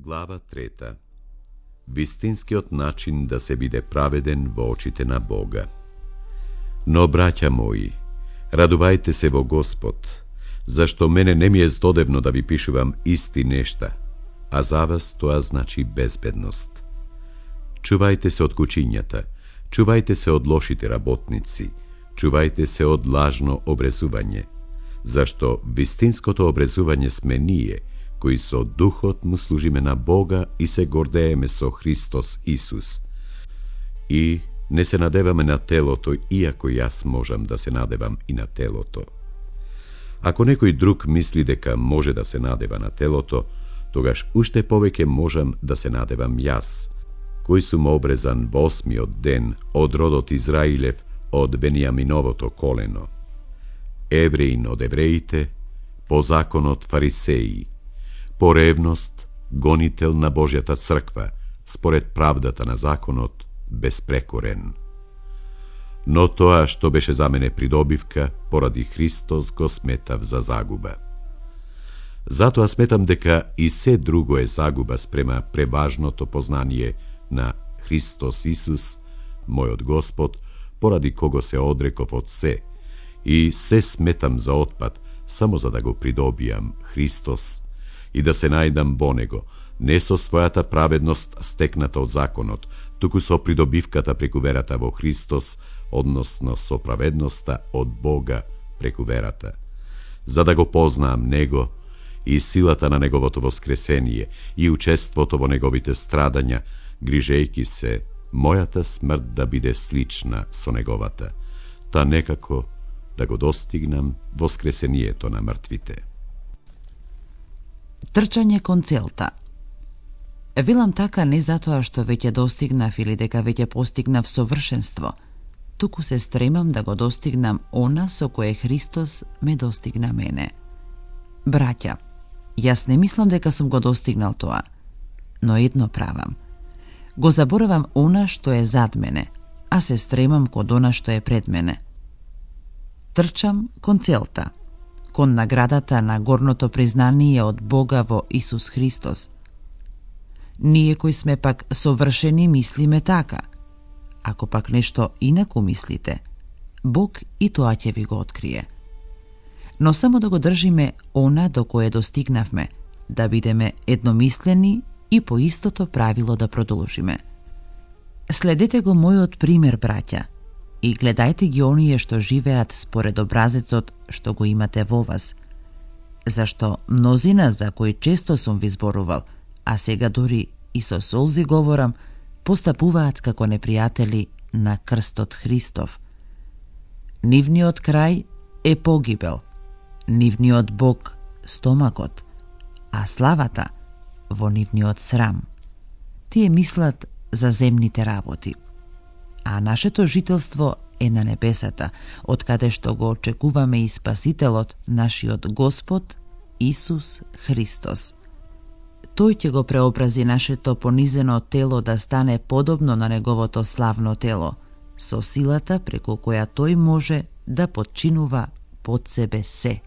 Глава 3. Вистинскиот начин да се биде праведен во очите на Бога. Но, браќа мои, радувајте се во Господ, зашто мене не ми е здодевно да ви пишувам исти нешта, а за вас тоа значи безбедност. Чувајте се од кучињата, чувајте се од лошите работници, чувајте се од лажно обрезување, зашто вистинското обрезување сме ние, кои со духот му служиме на Бога и се гордееме со Христос Исус. И не се надеваме на телото, иако јас можам да се надевам и на телото. Ако некој друг мисли дека може да се надева на телото, тогаш уште повеќе можам да се надевам јас, кој сум обрезан во 8-миот ден од родот Израилев, од Венијаминовото колено. Евреин од евреите, по законот фарисеи, по ревност гонител на Божјата црква, според правдата на законот, безпрекорен. Но тоа што беше за мене придобивка, поради Христос го сметав за загуба. Затоа сметам дека и се друго е загуба спрема преважното познание на Христос Исус, мојот Господ, поради кого се одреков од се, и се сметам за отпад, само за да го придобијам Христос и да се најдам во Него, не со својата праведност стекната од законот, туку со придобивката преку верата во Христос, односно со праведноста од Бога преку верата, за да го познаам Него и силата на Неговото воскресение и учеството во Неговите страдања, грижејки се мојата смрт да биде слична со Неговата, та некако да го достигнам воскресението на мртвите. Трчање кон целта. Велам така не затоа што веќе достигнав или дека веќе постигнав совршенство, туку се стремам да го достигнам она со кое Христос ме достигна мене. Браќа, јас не мислам дека сум го достигнал тоа, но едно правам. Го заборавам она што е зад мене, а се стремам кон она што е пред мене. Трчам кон целта, кон наградата на горното признание од Бога во Исус Христос. Ние кои сме пак совршени мислиме така. Ако пак нешто инаку мислите, Бог и тоа ќе ви го открие. Но само да го држиме она до кое достигнавме, да бидеме едномислени и по истото правило да продолжиме. Следете го мојот пример, браќа, и гледајте ги оние што живеат според образецот што го имате во вас. Зашто мнозина за кои често сум ви зборувал, а сега дури и со солзи говорам, постапуваат како непријатели на крстот Христов. Нивниот крај е погибел, нивниот Бог стомакот, а славата во нивниот срам. Тие мислат за земните работи, а нашето жителство е на небесата, од каде што го очекуваме и Спасителот, нашиот Господ Исус Христос. Тој ќе го преобрази нашето понизено тело да стане подобно на Неговото славно тело, со силата преку која Тој може да подчинува под себе се.